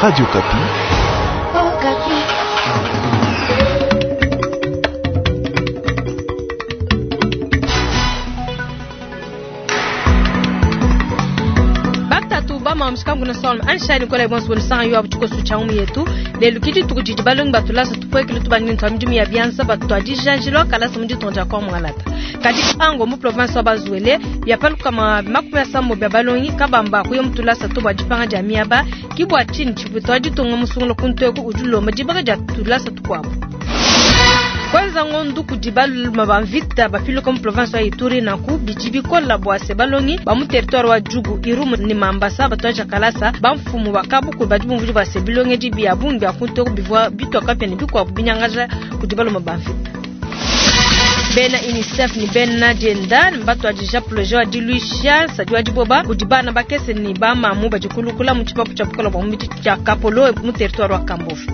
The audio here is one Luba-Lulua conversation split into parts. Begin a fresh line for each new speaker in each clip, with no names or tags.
Radio Okapi.
Batatu bama mushikangu na solma anshani kola bonso woni sanga yo abutuko sucha umu yetu lelu kidi tukujiji balongi batulasa tupwekele tubangini twa midimu ya bianza batwadijanjilwa kalasa mu ditonja kwa mwangalata kadi ango mu province wa bazuele byapaluka ma 70 bya balongi kabamba kuyo mutulasa to bwa dipanga dia miaba kibwa chini chipwito ditonga musungulo kuntweku udulomba dibaka dia tulasa tukwabo kwanza ngondu kudi baluma ba mvita bapiluka mu province wa Ituri nanku bidi bikola bua se balongi ba mu territoire wa Djugu Irumu ni Mambasa batwaja kalasa bamfumu ba kabuku badi bumvudi bua se bilongedi bia bungi bia kuntweku bivua bitwaka pia ne bikuabu binyangaja kudi baluma ba mvita. Bena UNICEF ni bena dienda mbatwadija projet wa diluisha nsadi wa diboba kudi bana bakese ni bamamu badikulukula mu tshipapu tshia bukola bua mubidi tshia Kapolo mu territoire wa Kambove.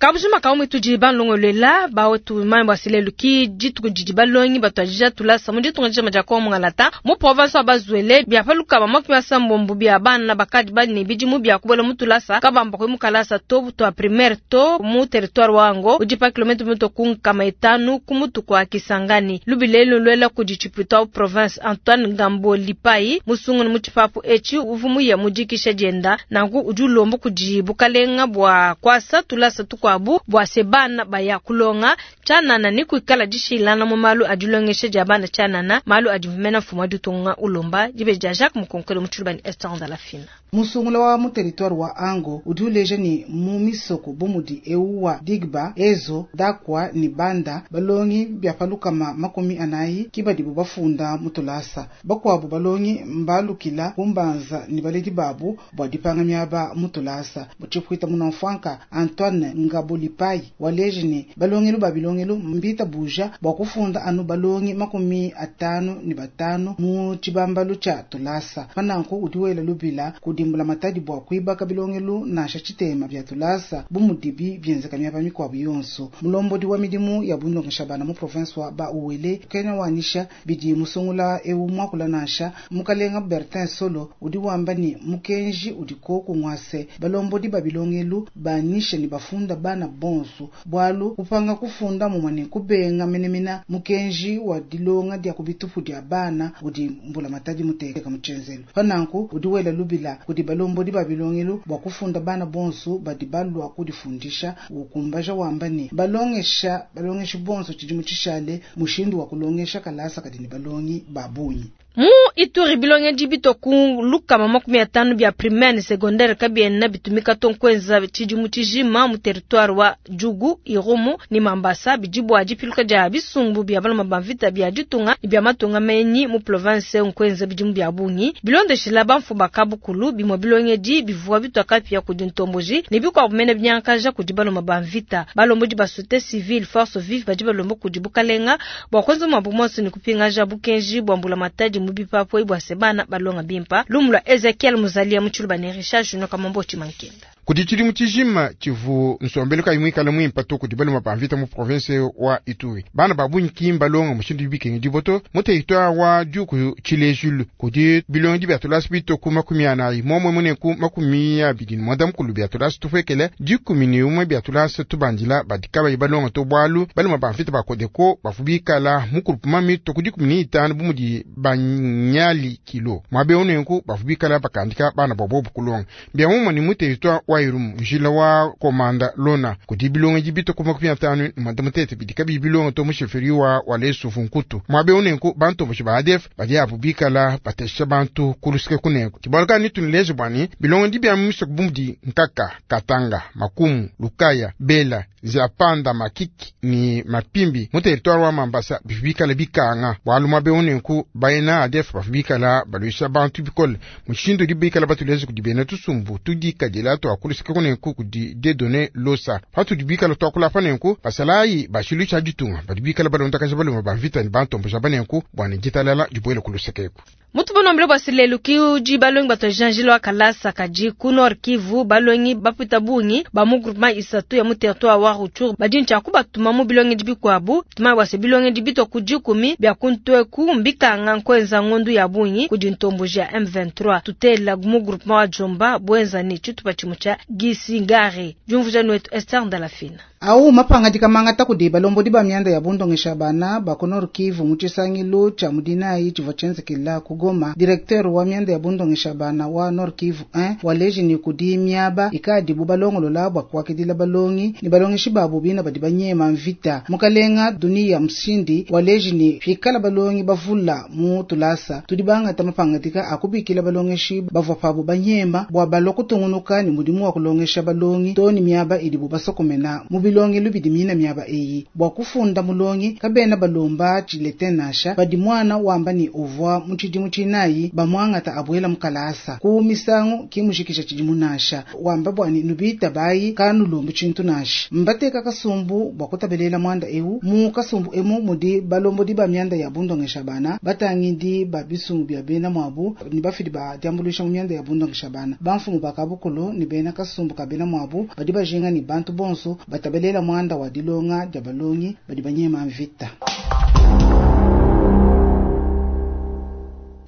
Kabujima kaumwe tudi balongolela bawetu mambo asilelu ki dituku didi balongi batwadija tulasa mu ditunga dijima dia Kongo Ngalata mu province wa Bazuele byapaluka ba 70 bya bana bakadi bali bidimu bya kubola mu tulasa kabamba kwe mu kalasa to twa primaire to mu territoire wango udi pa kilometre mito ku nkama itanu ku mutu kwa Kisangani lubilelu lwela kudi tshipuita wa province Antoine Ngambo Lipai musungu mu tshipapu eci uvumu ya mudikisha dienda nanku udi ulomba kudi bukalenga bua kwasa tulasa tukwa bu bua se bana baya kulonga tshianana ni kuikala dishilana mu malu adilongesha dia bana tshianana malu adivumena mfumu wa ditunga ulomba dibe dia Jacques Mukonkole mu tshilubani Esther Ndalafina.
Musungula wa mu territoire wa Ango udi uleja ni mu misoko bu mudi ewu wa Digba, Ezo, Dakwa ni Banda balongi byapaluka 40 kibadibu bafunda mutulasa bakwabu balongi mbalukila kumbanza ni baledi babu bua dipanga miaba mutulasa butshipuita munamfwanka Antoine Ngabo Lipai waleje ni balongelu ba bilongelu mbita buja bua kufunda anu balongi 55 mu tshibambalu tsha tulasa pananku udi wela lubila kudimbula matadi bua kuibaka bilongelu nansha tshitema bya tulasa bu mudibi bienzeka miaba mikuabu yonso. Mulombodi wa midimu ya bulongesha bana mu province wa ba Uele kena wanisha bidi musungula ewu mwakula nansha mukalenga Bertin Solo udi wamba ni mukenji udi koku ngwase balombodi ba bilongelu banisha ni bafunda bana bonso bwalu kupanga kufunda mumane kubenga menemena mukenji wa dilonga dia kubitupu dia bana udi mbula matadi muteka muchenzelo pananku udi wela lubila kudi balombodi ba bilongelu bua kufunda bana bonso badi balua kudifundisha ukumbaja wamba ni balongesha balongeshi bonso tshidimu tshishale mushindu wa kulongesha kalasa kadi ni balongi babunyi.
Mu Ituri bilongedi bitoku lukama 50 bya primaire ne secondaire kabiena bitumika tonkwenza tshidimu tshijima mu territoire wa Djugu, Irumu ni Mambasa bidibwa dipiluka dia bisumbu bya baloma ba mvita bya ditunga ni bya matunga menyi mu province nkwenza bidimu bya bungi bilondeshela bamfu bakabukulu bimwe bilongedi bivua bitwaka pia kudi ntomboji ne bikuabu mene binyankaja kudi baloma ba mvita balombodi ba société civile force vive badi balomba kudi bukalenga bua kwenza mwabu monso ni kupingaja bukenji bua mbula matadi mubipapo ibwa sebana balonga bimpa lumula Ezekiel Muzalia muchuluba ne Richard Junior Kamombo Chimankenda.
Kudi tshidimu tshijima tshivu nsombelu kayi muikale muimpa to kudi baloma ba mvita mu province wa Ituri bana ba bungi ki mbalonga mushindu bikengi diboto mu territoire wa Djugu tshilejulu kudi bilongi bya tulasa bito ku 40 momwe mune ku 29 bya tulasa tupwekele 11 bya tulasa tubandila badika bayi balonga to bwalu baloma ba mvita ba Kodeko bafubikala mukulupuma mito ku 15 bumudi banyali kilo mwabe onenku bafubikala bakandika bana bobo kulonga bya mumwe ni mu territoire wa Irumu njila wa komanda lona kudi bilongi bito ku 53 bidika bibilonga to musheferi wa walesu funkutu mwabe onenku bantu boshi ba ADF badi abu bikala batesha bantu kulusike kuneko kibalaka ni tunileze bwani bilongi bya misoko bumudi Nkaka, Katanga, Makumu, Lukaya, Bela, Zapanda, Makiki ni Mapimbi mu territoire wa Mambasa bibikala bikanga bwalu mwabe onenku baina ADF bafubikala balwisha bantu bikole mushindu dibikala batuleze kudibena tusumbu tudikadila to akulusike kunenku kudi dedone losa patudibikala twakula panenku basalayi bashilu tsha ditunga badibikala balondakaja baloma ba mvita ni bantomboja banenku bwana ditalala dibwele kulusekeku.
Mutu bonombele bua lelu ki udi balongi batuajanjila wa kalasa kadi ku Nord Kivu balongi bapita bungi ba mu groupement isatu ya mu territoire wa Rutshuru badi ntshia kubatuma mu bilongedi bikuabu. Tuma bua se bilongedi bitwa ku dikumi bia kuntweku mbikanga nkwenza ngondu ya bungi kudi ntomboji ya M23 tutela mu groupement wa Jomba bwenza ni tshitupa tshimue tshia Gisingare. Diumvuja nwetu Esther Ndalafina.
Au mapangadika mangata kudi balombodi ba mianda ya bundongesha bana ba ku Nord Kivu mu tshisangilu tshia mudinayi tshivua tshienzekela ku Goma. Directeur wa mianda ya bundongesha bana wa Nord Kivu 1 waleji ni kudi miaba ikadibu balongolola bua kuakidila balongi ni balongeshi babu bina badi banyema mvita. Mukalenga Dunia Mshindi waleji ni pikala balongi bavula mu tulasa tudi bangata mapangadika akubikila balongeshi bavua pabu banyema bua balua kutungunuka ni mudimu wa kulongesha balongi to ni miaba idibu basokomena mu bilongi lubidi mina miaba eyi bua kufunda mulongi kabena balomba tshilete nasha badi mwana wamba ni uvua mu tshidimu tshinayi bamwangata abuela mukalasa ku misangu kimushikisha tshidimu nasha wamba bua ni nubita bayi kanulombi tshintu nasha mbateka kasumbu bua kutabelela mwanda ewu mu kasumbu emu mudi balombodi ba mianda ya bundongesha bana batangidi ba bisumbu bia bena mwabu ni bafidi ba diambuluisha mu mianda ya bundongesha bana bamfumu bakabukulu ni bena kasumbu ka bena mwabu badi bajinga ni bantu bonso batabelela mwanda wa dilonga dia balongi badi banyema mvita.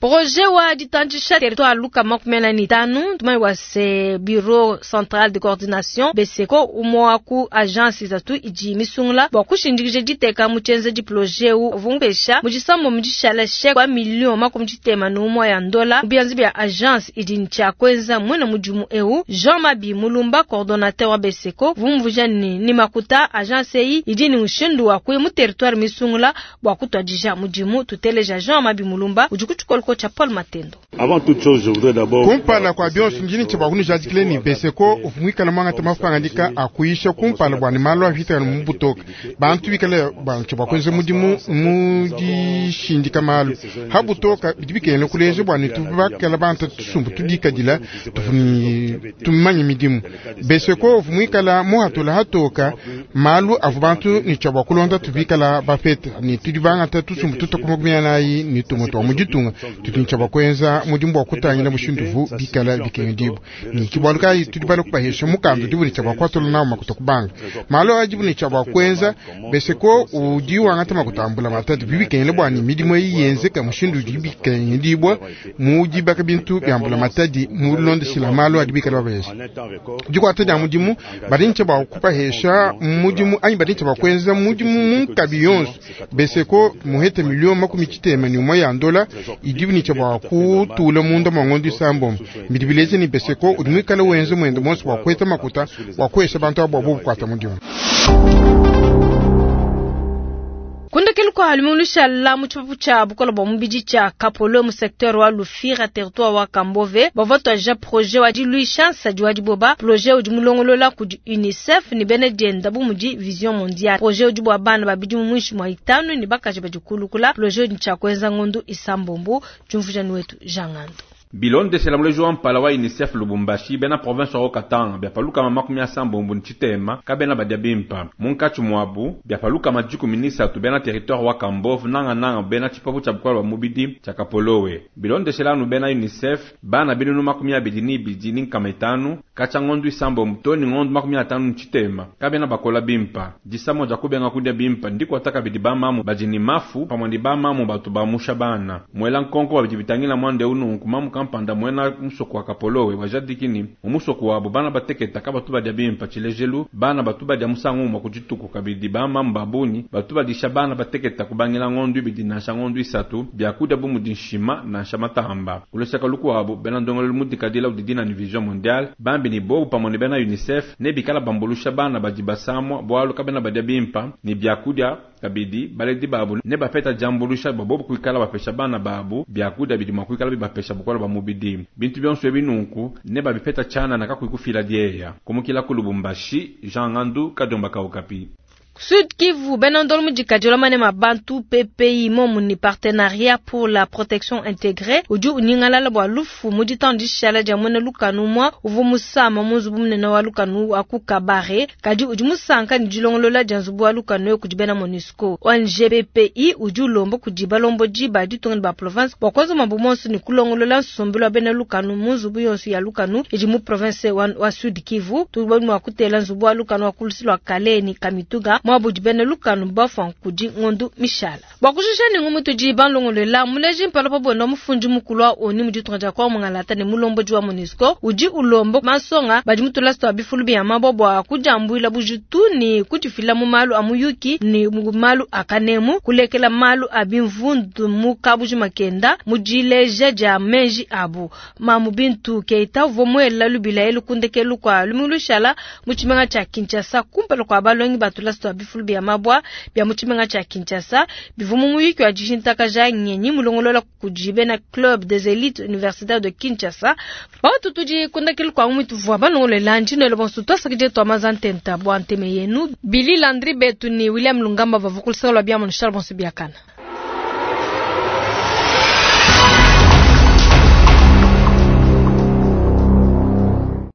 Projet wa ditandisha territoire luka 45 tumai wa se bureau central de coordination BCCO umwa ku agence zatu idi misungula bua kushindikije diteka mu tshienze di projet u vumpesha mujisambo mujishala shek wa million makumi tshitema n'umwe ya ndola bianzi bia agence idi ntshia kweza mwena mudimu eu Jean Mabi Mulumba coordonnateur wa BCCO vumvuja ni makuta agence eyi idi ni mushindu wa kuya mu territoire misungula bua kutwadija mudimu tuteleja Jean Mabi Mulumba udi kutshikoloko cha Paul Matendo.
Avant toute chose, je voudrais d'abord
kumpala kwa bionso ndini tsha bakunu jadikile ni beseko ufumwikala mwanga tamafangandika akuisha kumpala bwa ni malo avita mu butoka bantu bikala bantu bakwenze mudimu mu dishindika malo habutoka bidi bikene kuleje bwa ni tubakala bantu tusumbu tudikadila tufuni tumanye midimu beseko ufumwikala muhatula hatoka malu avu bantu ni tsha bakulonda tubikala bapeta ni tudibanga tusumbu tutakumakumyanayi ni tumoto muditunga tutincha bakwenza mudimu wa kutangila mushindu bikala bikendibu ni kibwaluka tudibala kubahesha mukando dibuni cha bakwatula nawo makuta kubanga malo ajibuni cha bakwenza beseko udi wangata makutambula matatu bibikengele bwani midimu yenzeka mushindu bikendibwa mudi bakabintu byambula matadi mulondeshila malo adibikala babesha dikwata dia mudimu badincha bakupahesha mudimu anyi badincha bakwenza mudimu munkabi yonso beseko muhete milioni 80 ni umwe ya ndola idibuni cha bakutula munda mwangondi sambo midibileze ni beseko udimwikala wenze mwendo monso wakweta makuta wakwesha bantu abo bukwata mudimu.
Kundekelu kwa halimulisha la muchipapu cha bukola bwa mubidi cha Kapolo mu secteur wa Lufira territoire wa Kambove bavotwa ja projet wa diluisha nsadi wa diboba projet udi mulongolola kudi UNICEF ni bene dienda bu mudi Vision Mondiale projet udi bwa bana babidi mu mwishi mwa itanu ni bakaji badikulukula projet udi ntsha kwenza ngondu isambombo tshumvuja wetu Jangando.
Bilondeshela muleji wa mpala wa UNICEF Lubumbashi bena province wa Katanga byapaluka makumi asambombo ntshitema kabena badia bimpa munkatshi mwabu byapaluka majiku minisatu bena territoire wa Kambove nanga nanga bena tshipapu tshia bukola bwa mubidi tshia Kapolowe. Bilondeshela anu bena UNICEF bana binunu 22 ni nkama itanu katshia ngondu isambombo toni ngondu 50 ntshitema kabena bakola bimpa disamo dia kubenga kudia bimpa ndiko ataka bidi bamamu badi ni mafu pamwe ndi bamamu batu bamusha bana mwela nkonko babidi bitangila mwande ununku mamu panda mwena musoko wa Kapolowe wajadikini umusoko wabo bana bateketa ka batu badia bimpa tshilejelu bana batu badia musangu umwa kudituku kabidi bamamu babuni batu badisha bana bateketa kubangila ngondu ibidi nansha ngondu isatu byakudia bu mudi nshima nansha matamba kuleseka luku wabo bena ndongolelu mudikadila udidina ni Vision Mondiale bambi ni bobu pamwe ni bena UNICEF ne bikala bambulusha bana badi basamwa bwalu kabena badia bimpa ni byakudia kabidi baledi babu ne bapeta jambulusha babobu kuikala bapesha bana babu byakudia bidi mwa kuikala bibapesha bukola ba mubidi bintu byonso ebinunku ne babipeta chana na kakuikufila dieya kumukila ku Lubumbashi Jean Ngandu Kadomba Kaukapi.
Sud Kivu, bena ndolo mudikadi wa manema bantu PPI momu ni partenariat pour la protection intégrée udi unyingalala bua lufu mu ditandishala dia muena lukanu mwa uvu musama mu nzubu munene wa lukanu wa ku Kabare kadi udi musanka ne dilongolola dia nzubu wa lukanu kudi bena MONUSCO. ONG PPI udi ulomba kudi balombodi ba ditunga ne ba province bua kuenza mambo monso ne kulongolola nsombelu wa bena lukanu mu nzubu yonso ya lukanu idi mu province wa Sud Kivu. Tudi mua kutela nzubu wa lukanu wa kulusi lua Kale ni Kamituga mwabudi bena lukanu bafwa kudi ngondu mishala. Bua kujisha ne ngumu tudi balongolola muleji mpala pa bwenda mufundi mukulu wa ONU mu ditunga dia kwa mungalata ne mulombodi wa MONUSCO udi ulomba mansonga badi mutulasa twa bifulu bia mabwa bua kujambuila bujitu ni kudifila mu malu a muyuki ni mu malu a kanemu kulekela malu a bimvundu mu kabuji makenda mu dileja dia meji abu. Mamu Bintu Keita uvua muela lubila elu kundekelu kwa lumingu lushala mu tshimenga tshia Kinshasa kumpala kua balongi batulasa twa bifulu bia mabwa bia mu tshimenga tshia Kinshasa bivua mu muyuki wa dishintakaja ngenyi mulongolola kudi bena Club des Elites Universitaires de Kinshasa. Batu tudi kundekelu kwa ngumu tuvua balongolola ndinelo bonso twasakidile twa maza ntenta bua nteme yenu Billy Landry Betu ni William Lungamba bavua kulusaka lua bia mu Charles Bonso biakana.